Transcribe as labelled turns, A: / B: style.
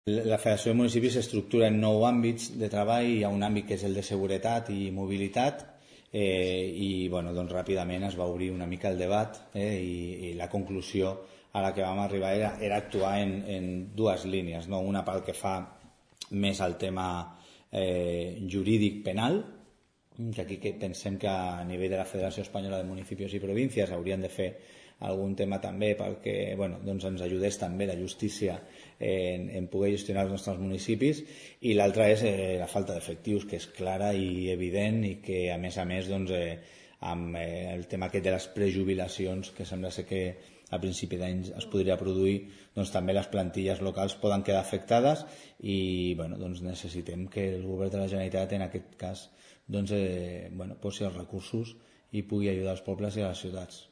A: La Federació de Municipis s'estructura en 9 àmbits de treball. Hi ha un àmbit que és el de seguretat i mobilitat, i doncs ràpidament es va obrir una mica el debat, i la conclusió a la que vam arribar era actuar en dues línies, no? Una pel que fa més al tema jurídic penal, que aquí pensem que a nivell de la Federació Espanyola de Municipis i Províncies haurien de fer algun tema també perquè doncs ens ajudés també la justícia en poder gestionar els nostres municipis, i l'altra és la falta d'efectius, que és clara i evident, i que a més doncs, amb el tema aquest de les prejubilacions, que sembla ser que a principi d'any es podria produir, doncs també les plantilles locals poden quedar afectades, i doncs necessitem que el govern de la Generalitat en aquest cas doncs, posi els recursos i pugui ajudar els pobles i les ciutats.